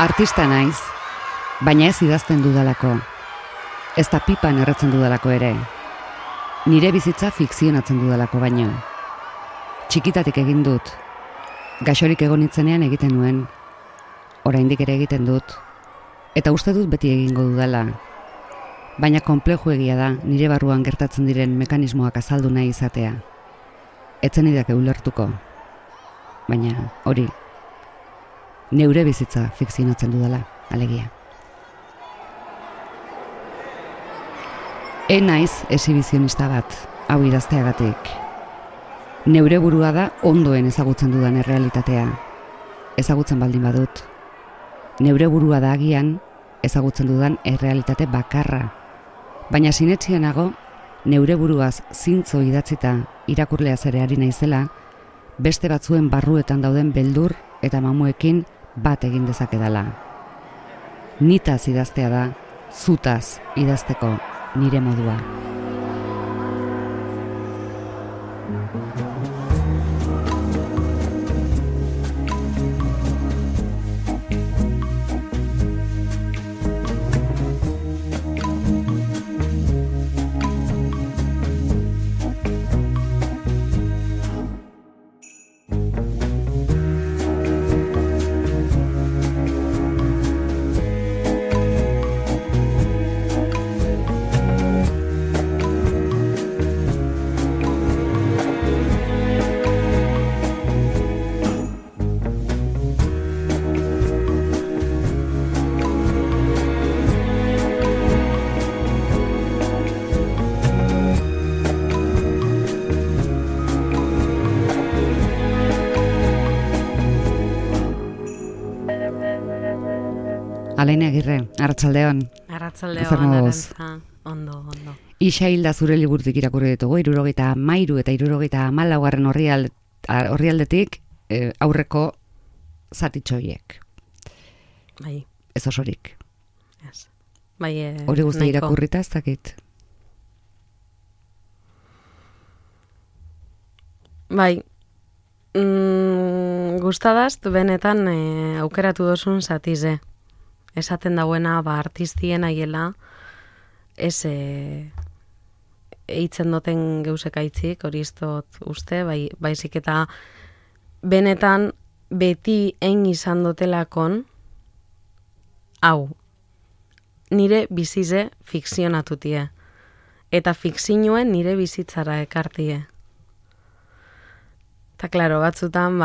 Artista naiz, baina ez idazten dudalako. Ez da pipan erretzen dudalako ere. Nire bizitza fikzionatzen dudalako baino. Txikitatik egin dut. Gaixorik egon nitzenean egiten nuen. Oraindik ere egiten dut. Eta uste dut beti egingo dudala. Baina konpleju egia da nire barruan gertatzen diren mekanismoak azaldu nahi izatea. Etzen idake ulertuko. Baina hori, neure bizitza fikzionatzen dudala, alegia. Naiz exhibizionista bat, hau idazteagatik. Neure burua da ondoen ezagutzen dudan errealitatea. Ezagutzen baldin badut. Neure burua da agian ezagutzen dudan errealitate bakarra. Baina sinetxienago, neure buruaz zintzo idatzita irakurlea zere ari naizela, beste batzuen barruetan dauden beldur eta mamuekin bat egin dezakedala. Nitaz idaztea da, zutaz idazteko nire modua. Alain Agirre, arratsaldeon. Arratsaldeon, Arantza. Ondo. Isa hilda zure liburutik irakurri ditugu, 73 eta 74. orrialdetik aurreko zatitxoiek. Bai. Ez osorik. Ez. Bai, hori guzti irakurrita ez dakit. Bai. Gustadaz, benetan aukeratu dozun zatize. Esaten dauena, artistien aiela, ez eitzen duten geusekaitzik, hori iztot uste, baizik eta benetan beti egin izan dotelakon, hau, nire bizize fikzionatutie, eta fikzioen nire bizitzara ekartie. Eta klaro, batzutan,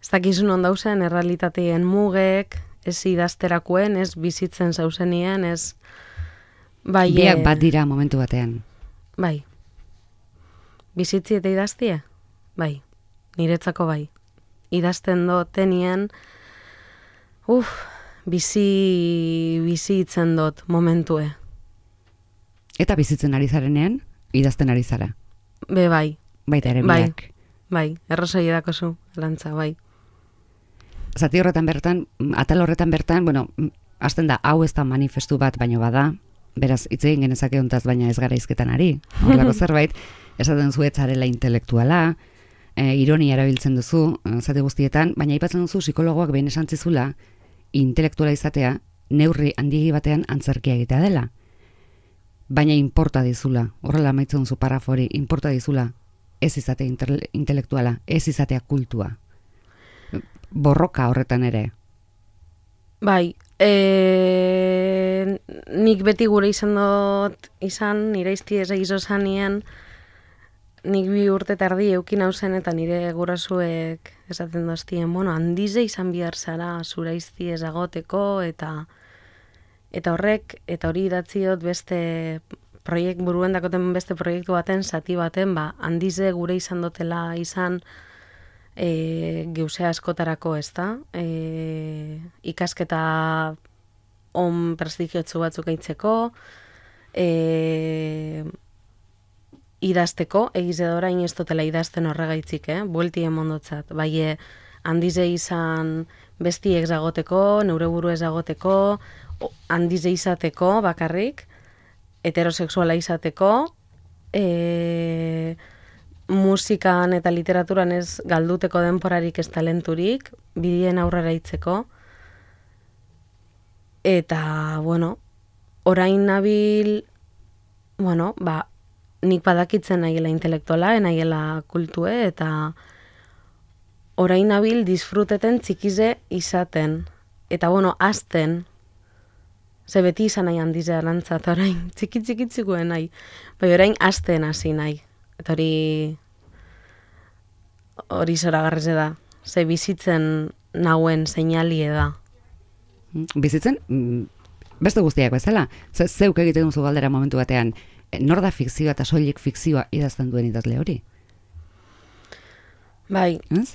ez dakizun ondauzen errealitateen mugek, ez idazterakuen, ez bizitzen zauzenien, ez... Biak bat dira momentu batean. Bai. Bizitzi eta idaztie? Bai. Niretzako bai. Idazten tenien, bizitzen dut momentue. Eta bizitzen ari zarenean, idazten ari zara? Bai. Baita ere biak. Bai, errosai edakozu, Arantza, bai. Zati horretan bertan, atal horretan bertan, hasten da, hau ez da manifestu bat, baino bada, beraz, hitz egin genezake hontaz, baina ez gara izketan ari, horrelako zerbait, esaten zuetzarela intelektuala, ironia erabiltzen duzu, zati guztietan, baina aipatzen duzu psikologoak behin esan zizula, intelektuala izatea, neurri handiegi batean antzerkia egitea dela. Baina inporta dizula, horrela amaitzen duzu parafori, inporta dizula, ez izatea intelektuala, ez izatea kultua. Borroka horretan ere. Bai, nik beti gure izan nire izti ez egizo zanien, nik 2 urte tardi eukin hauzen eta nire gurasuek esaten doztien, handize izan bihar zara zura izti ez agoteko, eta horrek, eta hori idatziot beste buruan dakoten beste proiektu baten, zati baten, handize gure izan dotela izan geusea askotarako, ez da? Ikasketa on prestigiotzu batzuk eitzeko, idazteko, egiz edo orain ez dutela idazten horregaitzik, buelti emondotzat. Bai, handize izan bestiek zagoteko, neure buru ezagoteko, handize izateko bakarrik, heterosexuala izateko, musikan eta literaturan ez galduteko denporarik ez talenturik, bidien aurrera itzeko. Eta, bueno, orain nabil, bueno, nik badakitzen nahiela intelektuala, nahiela kultue, eta orain nabil disfruteten txikize izaten. Eta, bueno, azten, ze beti izan nahi handize arantzat, orain, txikitzikuen nahi. Bai, orain azten hasi nahi. Eta hori zoragarrize da. Ze bizitzen nauen seinalie da. Bizitzen, beste guztiak bezala, zeuk egiten duzu galdera momentu batean, nor da fikzioa eta soilik fikzioa idazten duen idazle hori? Bai, ez?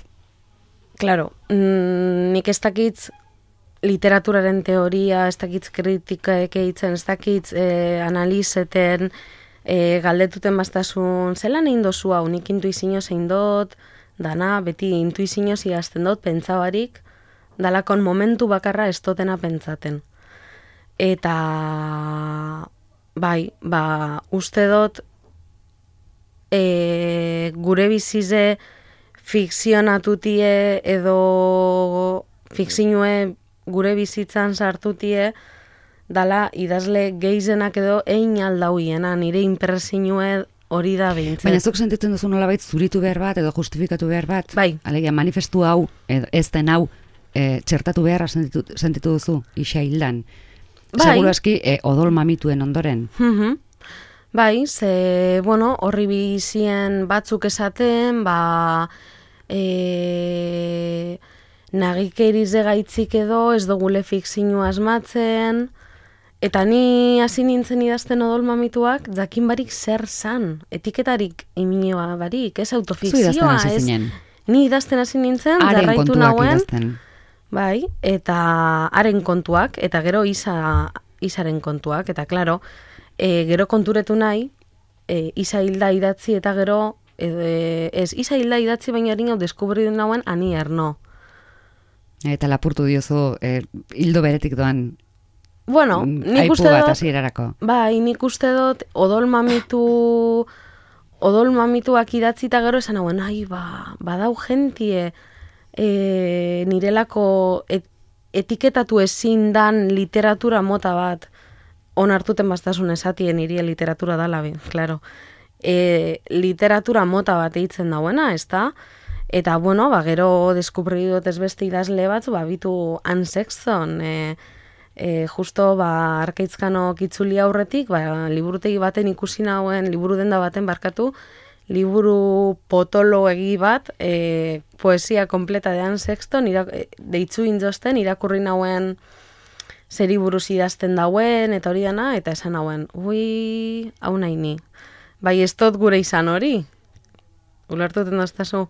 Claro, nik ez dakitz literaturaren teoria, ez dakitz kritikaek eitzen, ez dakitz analizeten, galdetuten bastasun, zelan egin dozu hau, nik intuizio zein dut, dana, beti intuizio zigazten dut, pentsabarik, dalakon momentu bakarra ez dotena pentsaten. Eta, bai, uste dut, gure bizize fikzionatutie edo fikzinue gure bizitzan sartutie, dala idazle geizenak edo ein aldauiena, nire impresinue hori da behintzen. Baina zuk sentitzen duzu nolabait zuritu behar bat edo justifikatu behar bat? Bai. Alegia, manifestu hau, edo ez den hau, txertatu beharra sentitu duzu, isa hildan. Bai. Seguro aski, odol mamituen ondoren. Bai, ze, bueno, horri bizien batzuk esaten, nagikerize gaitzik edo, ez dugule fikzioa asmatzen, eta ni hasi nintzen idazten odol mamituak, jakin barik zer zan, etiketarik iminoa barik, ez autofikzioa, ez. Ni idazten hasi nintzen, jarraitu nauen, bai, eta haren kontuak, eta gero izaren kontuak, eta klaro, gero konturetu nahi, isa hilda idatzi, eta gero, ez, isa hilda idatzi baina harin hau deskubri duen nauen, ani erno. Eta lapurtu diozu, hildo beretik doan, bueno, nik uste dut, bai, nik uste dut, odol mamituak idatzi eta gero esan hauen, badau gentie, nirelako etiketatu ezin dan literatura mota bat, onartuten bastasun esatien irie literatura dala, claro. Literatura mota bat eitzen dauena, ez da? Eta, bueno, gero deskubri dut ez beste idazle batzu, bitu Anne Sexton, justo, Arkaitzkano kitzuli aurretik, liburutegi baten ikusi nauen, liburu denda baten barkatu, liburu potolo egi bat, poesia kompleta de Anne Sexton, deitzu inzosten, irakurri nauen zeri buruz idazten dauen, eta hori dana, eta esan nauen, hau nahi ni. Bai, ez dut gure izan hori. Ulertuten daztazu.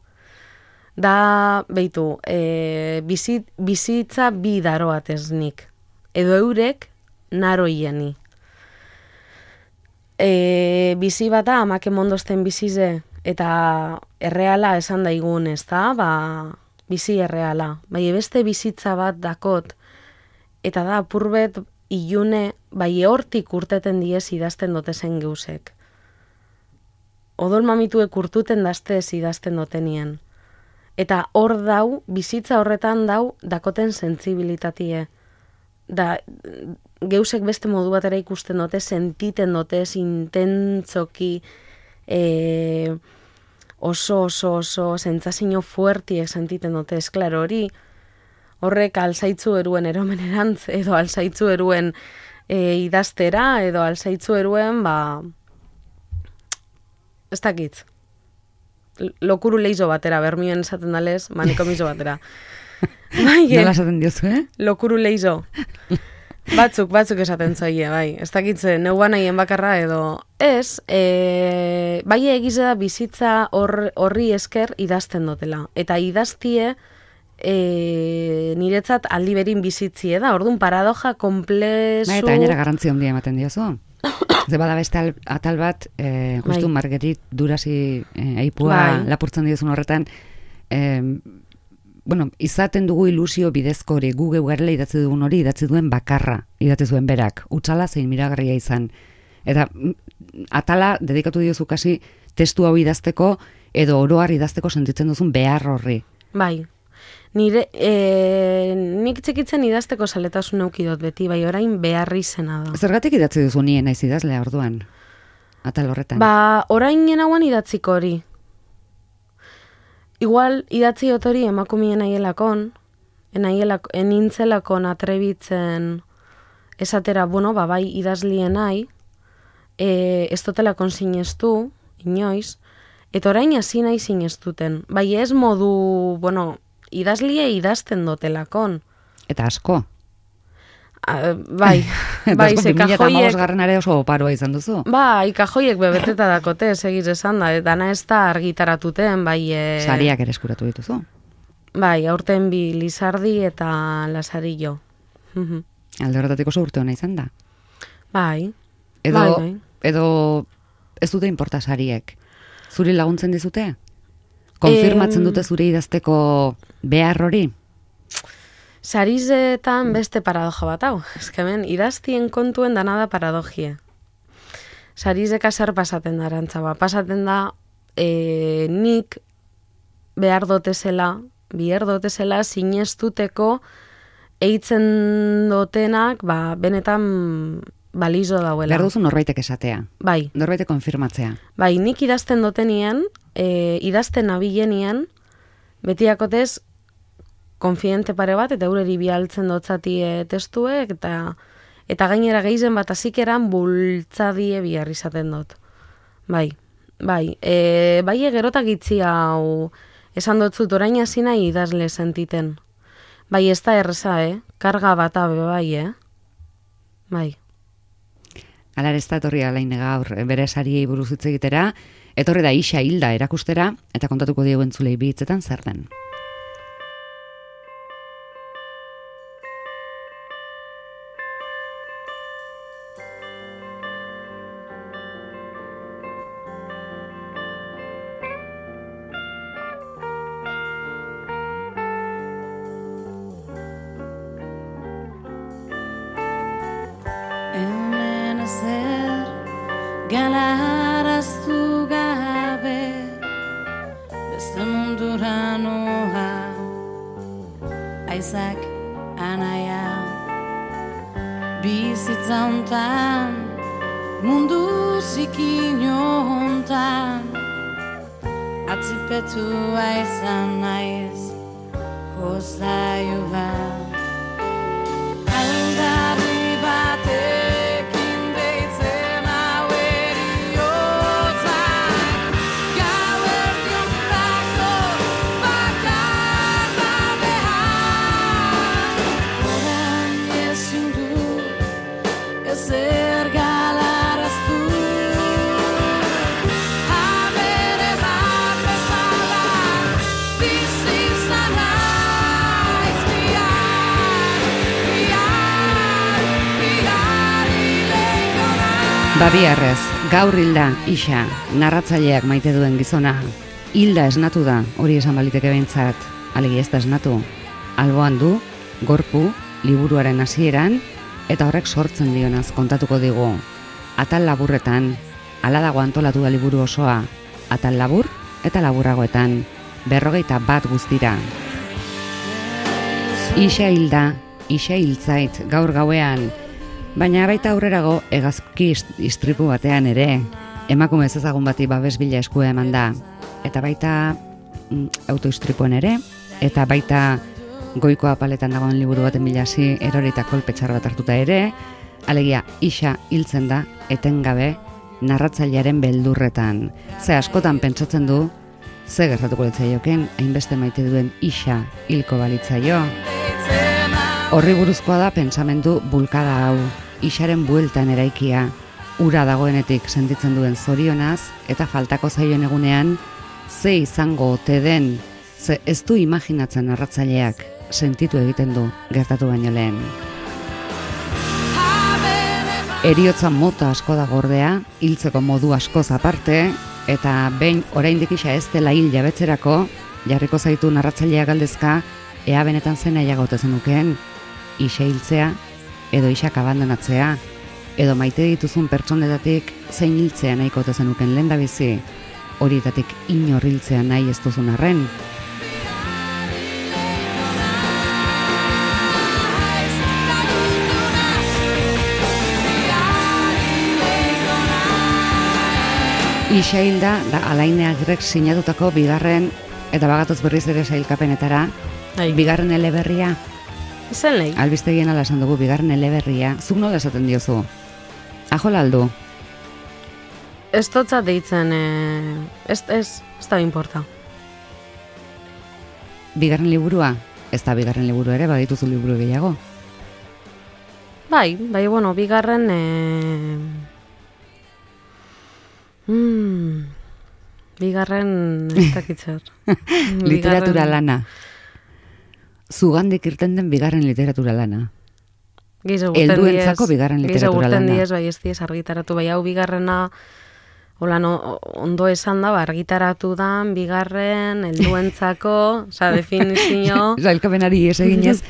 Da, behitu, bizitza bi daroatez nik. Edo eurek naroieni. Bizi bata amake mondozten bizize, eta erreala esan daigun, ez da, bizi erreala. Bai, beste bizitza bat dakot, eta da, apurbet ilune, bai, hortik urteten diez idazten dotezen geusek. Odol mamituek urtuten daztez idazten dotenien. Eta hor dau, bizitza horretan dau, dakoten sentzibilitatie. Da, geusek beste modu batera ikusten dute, sentiten dute, intentzoki, oso, sentsazio fuertiek sentiten dute, esklaro hori, horrek alzaitzu eruen eromenerantz, edo alzaitzu eruen idaztera, edo alzaitzu eruen, ez dakitz. Lokuru leizo batera, bermioen esaten dalez, manikomizo batera. Nola esaten diozu, Lokuru leizo. Batzuk esaten zoie, bai. Ez dakitze, neuan nahien bakarra edo. Ez, bai egize da bizitza horri esker idazten dutela. Eta idaztie niretzat aldi berin bizitzie da. Orduan paradoja komplezu... Eta gainera garrantzia handia ematen diozu. Ze bada beste atal bat, justu Marguerite Durasi aipua lapurtzen diozun horretan, izaten dugu ilusio bidezko hori, gu garela idatzi dugun hori, idatzi duen bakarra, idatzi zuen berak, utzala zein miragarria izan. Eta atala dedikatu diozu kasi testu hau idazteko, edo oroar idazteko sentitzen duzun behar horri. Bai, Nik txikitzen idazteko saletasun eukidot beti, bai orain beharri zena da. Zergatik idatzi duzu nien naiz idazlea orduan? Atal horretan. Orain hauan idatziko hori. Igual idatzi otori emakumien aielakon, enintzelakon atrebitzen esatera, bai idazlien nahi, ez dotelakon sinestu, inoiz, eta orain hasi nahi sinestuten. Bai ez modu, idazlie idazten dotelakon. Eta asko. Bai, ze kajoiek... 2015 oso oparoa izan duzu. Bai, kajoiek bebeteta dakote, segiz esan da, dana ez da argitaratuten, bai... Sariak ere eskuratu dituzu. Bai, aurten bi Lizardi eta Lasarillo. Alde horretatik oso urte hona izan da. Bai, Edo ez dute inporta sariek. Zuri laguntzen dizute? Konfirmatzen dute zure idazteko behar hori? Sarizetan beste paradoja bat hau. Hemen idaztien kontuen dana da paradojia. Sarizeka zer pasaten da arantzaba. Pasaten da nik behar dotezela sinestuteko eitzen dotenak benetan balizo dauela. Behar duzu norbaitek esatea. Bai. Norbaitek konfirmatzea. Bai, nik idazten dotenien, idazten abilenien, betiakotez konfidente pare bat, eta eureri bialtzen dotzatie testuek, eta gainera gehizen bat azikeran bultzadie bihar izaten dut. Bai, gerotak itzi hau esan dotzut orain hasi nahi idazle sentiten. Bai, ez da erreza, karga bat abe, bai, bai. Alar ez da etorri alain gaur bere sariei buruz hitz egitera, etorri da Ixa Hilda erakustera, eta kontatuko diegu entzulei bi hitzetan zer den. Galaraztu gabe beste mundura noa aizak anaia bizitza hontan mundu zikin hontan atzipetua izan naiz jostailua aldarri batek Babiarrez, gaur Hilda, Ixa, narratzaileak maite duen gizona. Hilda esnatu da, hori esan baliteke behintzat, alegi ez da esnatu. Alboan du, gorpu, liburuaren hasieran, eta horrek sortzen dionaz kontatuko digu. Atal laburretan, hala dago antolatu da liburu osoa, atal labur eta laburragoetan, 41 guztira. Ixa Hilda, Ixa hiltzait, gaur gauean, baina baita aurrerago hegazki istripu batean ere, emakume ezagun bati babes bila eskua eman da, eta baita autoistripuen ere, eta baita goiko apaletan dagoen liburu baten bilasi erorita kolpetxar bat hartuta ere, alegia Ixa hiltzen da, etengabe, narratzailearen beldurretan. Ze askotan pentsatzen du, ze gertatuko litzaioken, hainbeste maite duen Ixa hilko balitzaio. Horri buruzkoa da pentsamendu bulkada hau, Ixaren bueltan eraikia, ura dagoenetik sentitzen duen zorionaz, eta faltako zaion egunean, ze izango ote den, ze ez du imaginatzen narratzaileak, sentitu egiten du gertatu baino lehen. Heriotza mota asko da gordea, hiltzeko modu askoz aparte, eta behin oraindik Ixa ez dela hil jabetzerako, jarriko zaitu narratzailea galdezka, ea benetan zen nahiagote zenukeen, Ixa hiltzea, edo Ixak abandonatzea, edo maite dituzun pertsonetatik zein hiltzea nahiko ote zenuken lehendabizi, horietatik inor hiltzea nahi ez duzun arren. Ixail da Alain Agrek sinatutako bigarren, eta bagatoz berriz ere sailkapenetara, bigarren eleberria. Izen lehi. Albistegien ala esan dugu, bigarren eleberria. Zuk nola esaten diozu? Ajola aldu? Ez totzat deitzen, ez da importa. Bigarren liburua? Ez da bigarren liburu ere, badituzu liburu gehiago? Bai, bueno, bigarren... bigarren ez dakitzer. Literatura lana. Zugandik irten den bigarren literatura lana. Helduentzako bigarren literatura lana. Diez, bai ez diez argitaratu, bai hau bigarrena, hola ondo esan da, argitaratu da, bigarren, helduentzako, definizio... Sailkapenari ez eginez,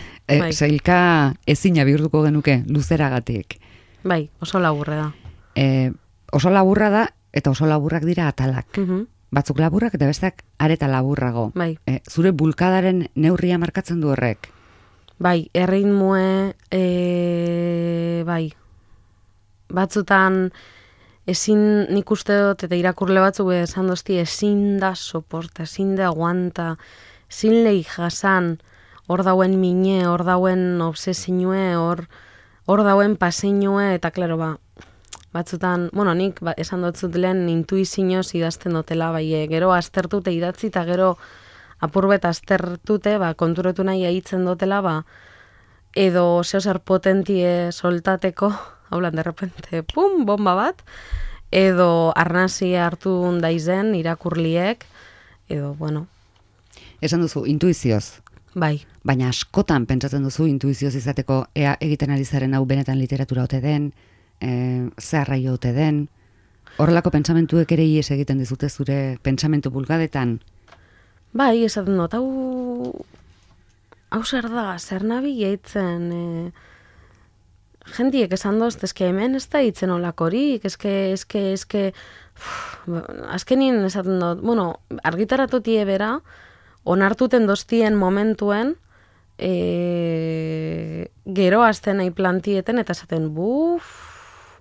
sailka ezina bihurtuko genuke, luzeragatik. Bai, oso laburra da. Oso laburra da, eta oso laburrak dira atalak. Batzuk laburrak eta besteak areta laburrago. Bai. Zure bulkadaren neurria markatzen du horrek? Bai, erritmue, bai. Batzutan ezin nik uste dut, eta irakurle batzuk esan dozti, ezin da soporta, ezin da aguanta, ezin lehi jasan, hor dauen mine, hor dauen obsesinue, hor dauen paseinue, eta klaro batzutan, nik esan dutzut lehen intuizioz idazten dutela, bai, gero aztertute idatzi eta gero apurbet aztertute, konturatu nahi aitzen dutela, edo zehozer potentie soltateko, haulan, derrepente, pum, bomba bat, edo arnazia hartu daizen irakurliek, edo, bueno. Esan duzu, intuizioz. Bai. Baina askotan pentsatzen duzu intuizioz izateko ea egiten ari zaren hau benetan literatura ote den, zeharraio ote den, horrelako pentsamentuek ere ies egiten dizute zure pentsamentu bulgadetan? Bai, esaten dut, hau zer da, zer nabi geitzen, jendiek esan dozt, eske hemen ez da hitzen olakorik, eske, azkenien esaten dut, argitaratutie bera, onartuten doztien momentuen, gero azten nahi plantieten, eta esaten,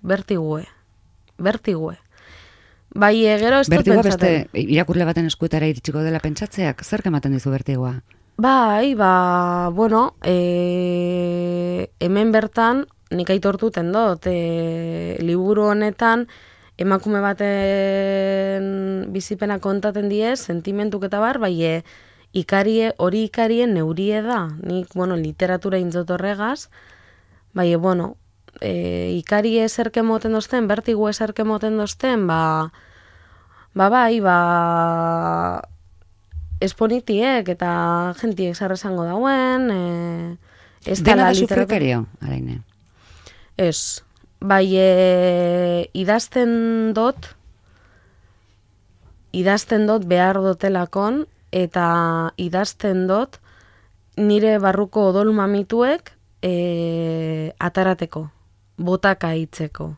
bertigue. Bai, gero ez dut pentsaten. Bertigoa beste irakurle baten eskuetara iritsiko dela pentsatzeak, zer ematen dizu bertigoa? Bai, hemen bertan, nik aitortuten dut, liburu honetan, emakume baten bizipena kontaten diez, sentimentuk eta bar, bai, hori ikarien neurie da. Nik, literatura intzot horregaz, bai, ikari ezerke moten dozten, bertigu ezerke moten dozten, esponitiek eta jentiek zer esango dauen, dena da sufrikerio, Alaine? Ez, bai, idazten dut behar dotelakon, eta idazten dut nire barruko odol mamituek atarateko, botaka hitzeko.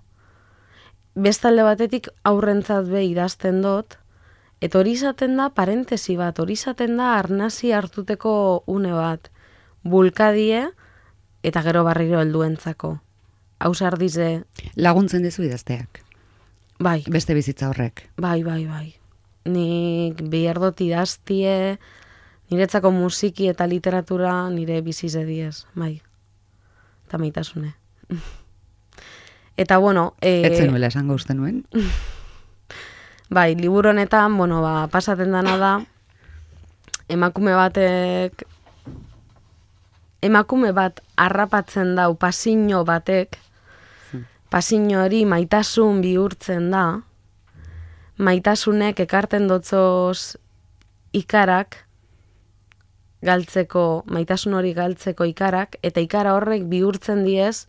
Bestalde batetik aurrentzat be idazten dut, eta hori izaten da parentesi bat, hori izaten da arnasi hartuteko une bat, bulkadie eta gero barriro helduentzako. Hausar dize... Laguntzen dizu idazteak? Bai. Beste bizitza horrek? Bai. Nik behar dut idaztie, niretzako musiki eta literatura nire bizize diez, bai. Eta maitasune. Eta, Etzen nuela esango uste nuen? Bai, liburu honetan, pasaten dana da, emakume bat harrapatzen dau pasino batek, pasino hori maitasun bihurtzen da, maitasunek ekarten dotzoz ikarak, maitasun hori galtzeko ikarak, eta ikara horrek bihurtzen diez,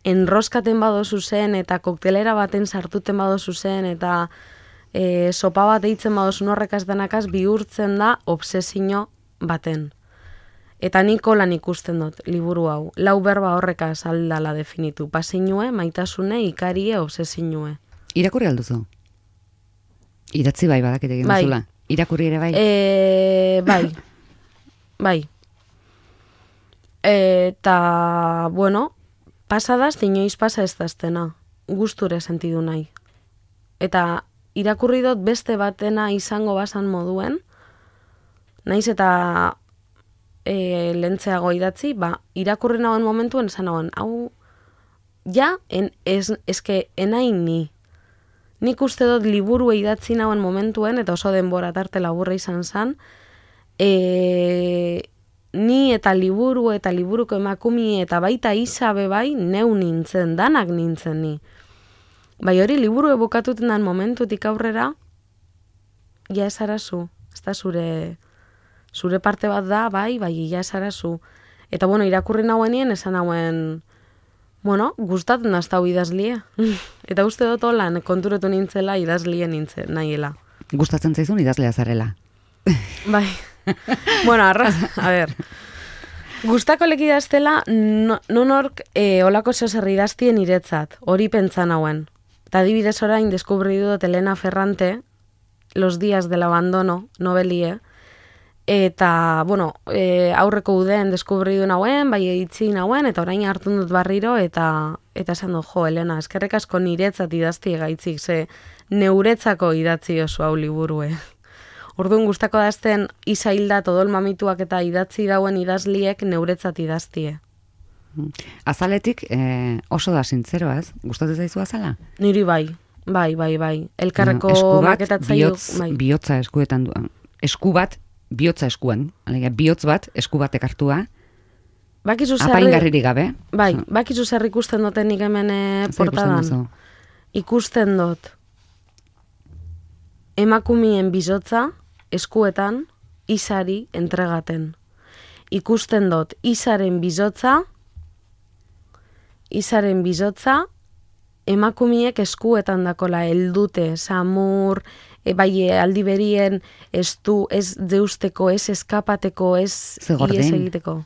enroskaten badozu zen, eta koktelera baten sartuten badozu zen, eta sopa bat eitzen badozun horrekaz denakaz bihurtzen da obsesio baten. Eta nik lan ikusten dut, liburu hau. 4 berba horrekaz aldala definitu. Pasinue, maitasune, ikarie, obsesinue. Irakurri alduzu? Idatzi bai badakit egin duzula. Irakurri ere bai? Bai. Eta, pasadaz, inoiz pasa ez daztena. Gusture sentidu nahi. Eta irakurri dut beste batena izango basan moduen, naiz eta lentzeago idatzi, irakurri nagoen momentuen esan nagoen, hau, ja, eske enain ni. Nik uste dut liburu idatzi nagoen momentuen, eta oso denbora tarte laburra izan zen, ni eta liburuko emakumi eta baita isabe bai, neu nintzen, danak nintzen ni. Bai hori liburu ebukatuten dan momentutik aurrera, ja esarazu, ez da zure parte bat da, bai, ja esarazu. Eta bueno, irakurri nagoenien esan nagoen, bueno, gustatzen hau idazlie. Eta uste dut holan konturetu nintzela idazlie nintzen, nahiela. Gustatzen zaizun idazlea zarela. Bai. Bueno, a ver. Gustako leki idaztela, nonork olako zer idaztien iretzat, hori pentsan hauen. Eta adibidez orain deskubri dut Elena Ferrante, Los días del abandono, novelie, eta, bueno, aurreko uden deskubri du nauen, bai editzi nauen, eta orain hartu dut barriro, eta esan du, jo, Elena, eskerrek asko niretzat idazti egaitzik, ze neuretzako idatzi oso hau liburue. Orduan gustako dazten izaildat odol mamituak eta idatzi dauen idazliek neuretzat idaztie. Azaletik oso da sintzeroa, ez? Gustatzen zaizu azala? Niri bai. Elkarreko maketatzailu. Bihotza eskuetan du. Esku bat, bihotza eskuan. Alegia, bihotz bat, esku batek hartua. Apaingarririk gabe. Bai, bakizu zer ikusten duten nik hemen portadan. Ikusten dut emakumien bizotza eskuetan izari entregaten. Ikusten dut izaren bizotza emakumiek eskuetan dakola heldute, samur, bai aldi berien ez deusteko, ez eskapateko, ez ies egiteko.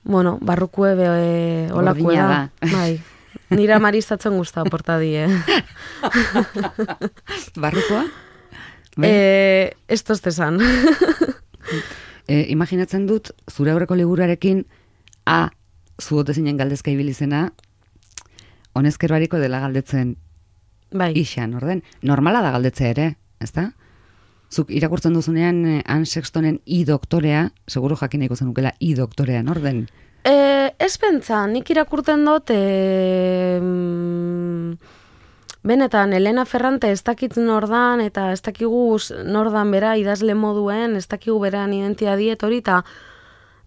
Bueno, barrukue olakue da. Bai. Nira maristatzen guzta portadie. Barrukoa? Ez toztezan. Imaginatzen dut, zure aurreko liburuarekin zuote zinen galdezka ibilizena, honezkero hariko dela galdetzen ixan, orden? Normala da galdetzea ere, ezta? Zuk irakurtzen duzunean Anne Sextonen doktorea, seguro jakineko zenukela doktorean, orden? Ez pentsa, nik irakurten dut, benetan, Elena Ferrante ez dakit nordan, eta ez dakigu nordan bera idazle moduen, ez dakigu beran identia diet hori, eta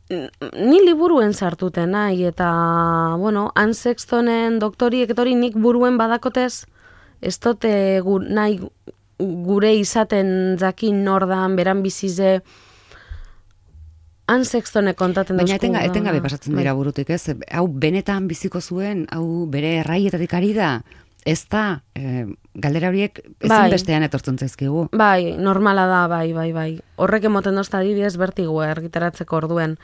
ni liburuen sartuten nahi, eta, bueno, Anne Sextonen doktoriek etori nik buruen badakotez, ez dote nahi gure izaten jakin nordan, beran bizize, Anne Sextonek kontaten dauzku. Baina etengabe pasatzen dira burutik, ez? Hau benetan biziko zuen, hau bere erraietatik ari da, ez da, galdera horiek ezin bestean etortzen zaizkigu. Bai, normala da, bai. Horrek emoten dozta adibidez bertigu argitaratzeko orduen.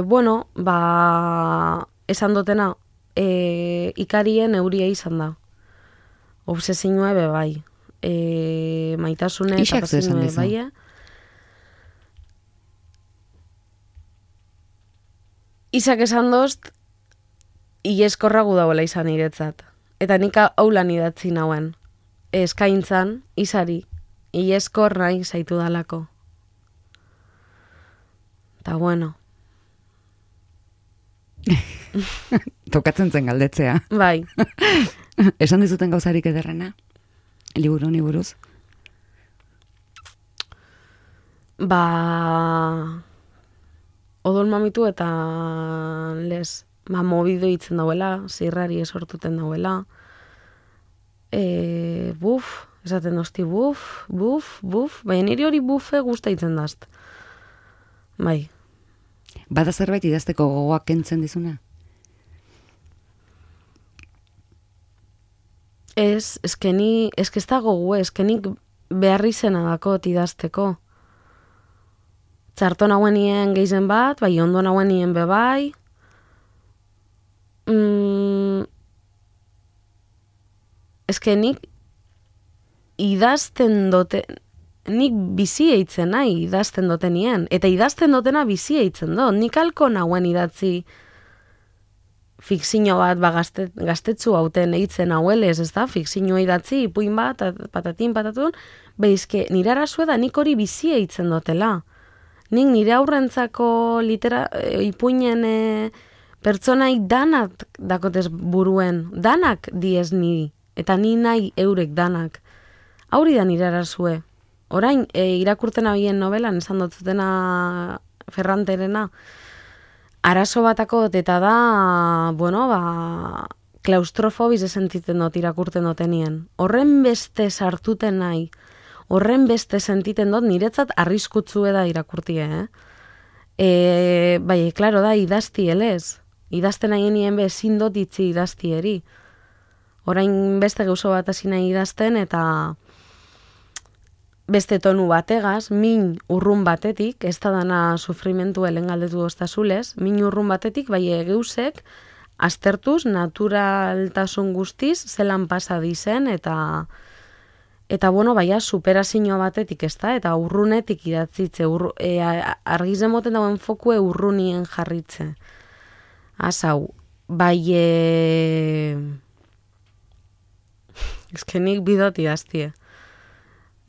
Bueno, esan dutena, ikarien euria izan da. Obsesinua bai. Maitasune eta pasinue bai. Isak esan dozt, ieskorra gudagoela izan iretzat. Eta nik haulan idatzi nauen. Eskaintzan, izari, ieskor nahi zaitu dalako. Eta bueno. Tokatzen zen galdetzea. Bai. Esan dizuten gauzarik ederrena? Liburu honi buruz? Odol mamitu eta les, mobido hitzen dauela, zirrari esortuten dauela. Esaten dozti buf, baina niri hori bufe guzta hitzen dazt. Bai. Bada zerbait idazteko gogoak kentzen dizuna? Eske ez da gogu, nik beharri zena dakot idazteko. Txarto nagoenien gehizen bat, bai ondo nagoenien bebai. Eske nik idazten dote, nik bizi eitzen nahi idazten dotenien, eta idazten dotena bizi eitzen do. Nik alko nagoen idatzi fikzio bat gaztetzu hauten eitzen hauelez, ez da? Fikzio idatzi, ipuin bat, patatin, patatun, behizke, nire arazue da nik hori bizi eitzen dutela. Nik nire aurrentzako ipuinen pertsonai danak dakotez buruen, danak diez ni, eta ni nahi eurek danak. Hauri da nire arazue. Orain, irakurten abien novelan, esan dutzutena Ferranterena, arazo batako eta da, bueno, klaustrofobiz sentiten dut irakurten dutenien. Horren beste sartuten nahi, horren beste sentiten dut, niretzat arriskutzu da irakurtie, bai, klaro da, idazti elez. Idazten nahi nien ezin dut itzi idaztieri. Orain beste gauzo bat hasi nahi idazten, eta beste tonu bategaz, min urrun batetik, ez da dana sufrimentu helen galdetu doztazulez, min urrun batetik, bai geusek, aztertuz, naturaltasun guztiz, zelan pasa dizen, eta bueno, baina superazio batetik, ez da, eta urrunetik idatzitze, argizen moten dauen fokue urrunien jarritze. Azau, bai, ezkenik bidot idaztie.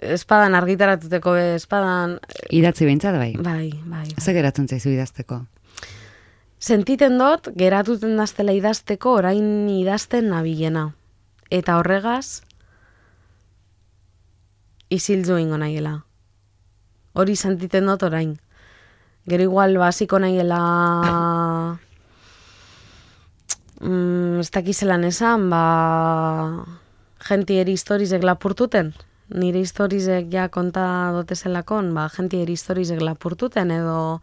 Espadan argitaratuteko, espadan... Idatzi behintzat, bai? Bai. Ze geratzen zaizu idazteko? Sentiten dut, geratuten daztela idazteko, orain idazten nabilena. Eta horregaz, izildu ingo nahiela. Hori sentiten dut orain. Gero igual basiko nahiela... ez dakizelan esan, jentieri historizek lapurtuten. Nire historizek ja konta dotezelakon, jentieri historizek lapurtuten, edo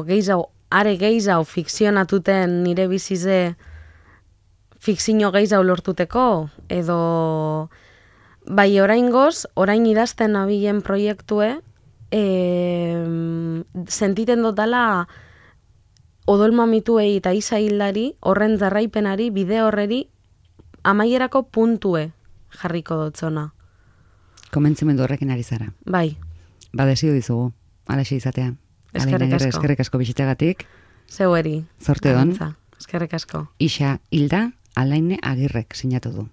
geizau, are geizau fikzionatuten nire bizize fikzio geizau lortuteko, edo bai oraingoz, orain idazten nabilen proiektue, sentiten dutala odolmamituei eta isa hildari, horren jarraipenari, bide horreri, amaierako puntue jarriko dotzona. Komentzimendu horrekin ari zara. Bai. Desio dizugu, alaxe izatea. Eskerrik asko bisitagatik. Zeueri. Zorte hon. Eskerrik asko. Isa Hilda Alaine Agirrek sinatu du.